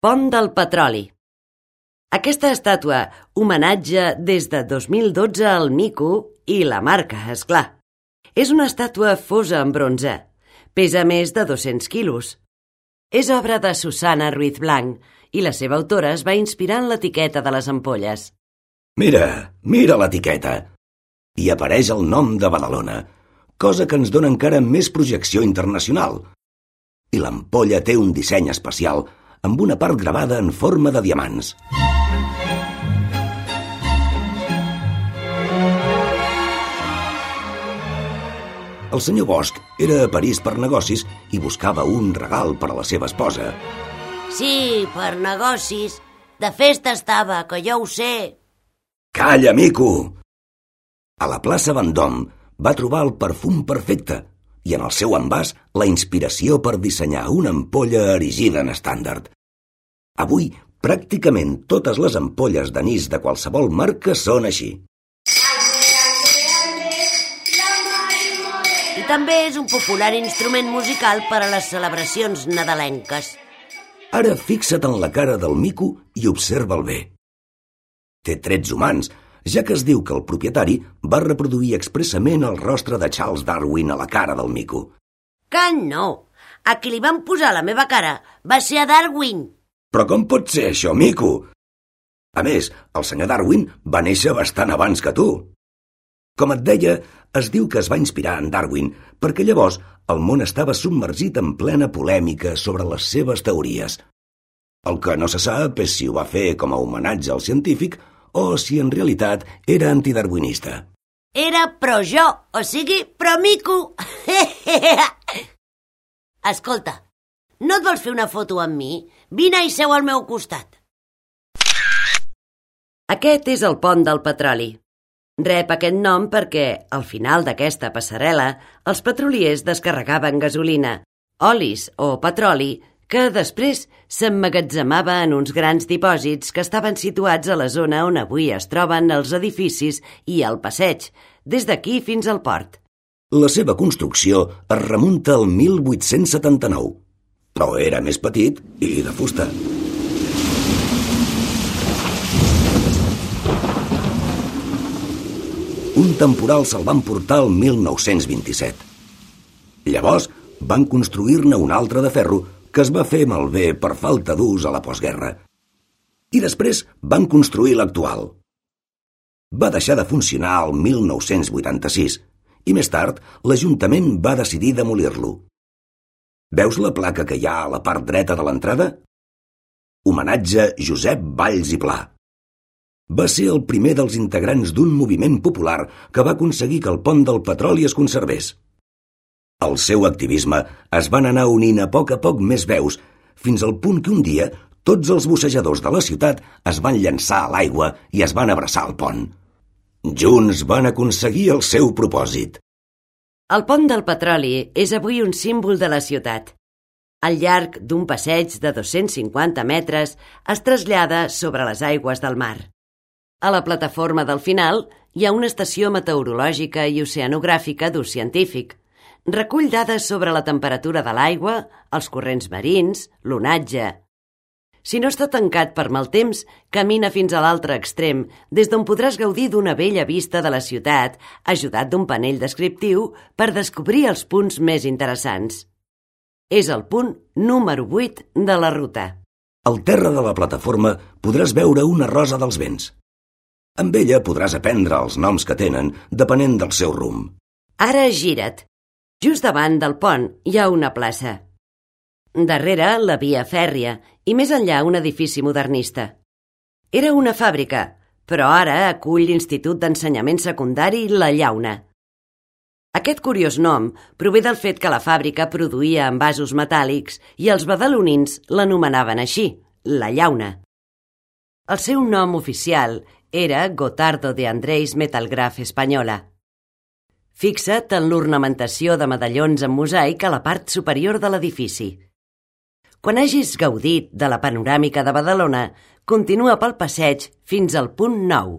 Pont del Petroli. Aquesta estàtua homenatja des de 2012 al mico i la marca, és clar. És una estàtua fosa en bronze. Pesa més de 200 quilos. És obra de Susana Ruiz Blanch i la seva autora es va inspirar en l'etiqueta de les ampolles. Mira l'etiqueta. Hi apareix el nom de Badalona, cosa que ens dona encara més projecció internacional. I l'ampolla té un disseny especial amb una part gravada en forma de diamants. El senyor Bosch era a París per negocis i buscava un regal per a la seva esposa. Sí, per negocis. De festa estava, que jo ho sé. Calla, mico! A la plaça Vendôme va trobar el perfum perfecte i en el seu envàs la inspiració per dissenyar una ampolla erigida en estàndard. Avui, pràcticament totes les ampolles d'anís de qualsevol marca són així. I també és un popular instrument musical per a les celebracions nadalenques. Ara fixa't en la cara del mico i observa'l bé. Té trets humans, ja que es diu que el propietari va reproduir expressament el rostre de Charles Darwin a la cara del mico. Que no! A qui li van posar la meva cara va ser a Darwin. Però com pot ser això, mico? A més, el senyor Darwin va néixer bastant abans que tu. Com et deia, es diu que es va inspirar en Darwin perquè llavors el món estava submergit en plena polèmica sobre les seves teories. El que no se sap és si ho va fer com a homenatge al científic o si en realitat era antidarwinista. Era pro-jo, o sigui, pro-mico. Escolta, no et vols fer una foto amb mi? Vine i seu al meu costat. Aquest és el Pont del Petroli. Rep aquest nom perquè, al final d'aquesta passarel·la, els petroliers descarregaven gasolina, olis o petroli que després s'emmagatzemava en uns grans dipòsits que estaven situats a la zona on avui es troben els edificis i el passeig, des d'aquí fins al port. La seva construcció es remunta al 1879, però era més petit i de fusta. Un temporal se'l van portar el 1927. Llavors van construir-ne un altre de ferro que es va fer malbé per falta d'ús a la postguerra. I després van construir l'actual. Va deixar de funcionar el 1986 i més tard l'Ajuntament va decidir demolir-lo. Veus la placa que hi ha a la part dreta de l'entrada? Homenatge Josep Valls i Pla. Va ser el primer dels integrants d'un moviment popular que va aconseguir que el Pont del Petroli es conservés. Al seu activisme es van anar unint a poc més veus, fins al punt que un dia tots els bussejadors de la ciutat es van llançar a l'aigua i es van abraçar al pont. Junts van aconseguir el seu propòsit. El Pont del Petroli és avui un símbol de la ciutat. Al llarg d'un passeig de 250 metres es trasllada sobre les aigües del mar. A la plataforma del final hi ha una estació meteorològica i oceanogràfica d'ús científic. Recull dades sobre la temperatura de l'aigua, els corrents marins, l'onatge. Si no està tancat per mal temps, camina fins a l'altre extrem, des d'on podràs gaudir d'una bella vista de la ciutat, ajudat d'un panell descriptiu per descobrir els punts més interessants. És el punt número 8 de la ruta. Al terra de la plataforma podràs veure una rosa dels vents. Amb ella podràs aprendre els noms que tenen, depenent del seu rumb. Ara gira't. Just davant del pont hi ha una plaça. Darrere, la via fèrria i més enllà un edifici modernista. Era una fàbrica, però ara acull l'Institut d'Ensenyament Secundari La Llauna. Aquest curiós nom prové del fet que la fàbrica produïa envasos metàl·lics i els badalonins l'anomenaven així, La Llauna. El seu nom oficial era Gotardo de Andrés Metalgraph Española. Fixa't en l'ornamentació de medallons en mosaic a la part superior de l'edifici. Quan hagis gaudit de la panoràmica de Badalona, continua pel passeig fins al punt 9.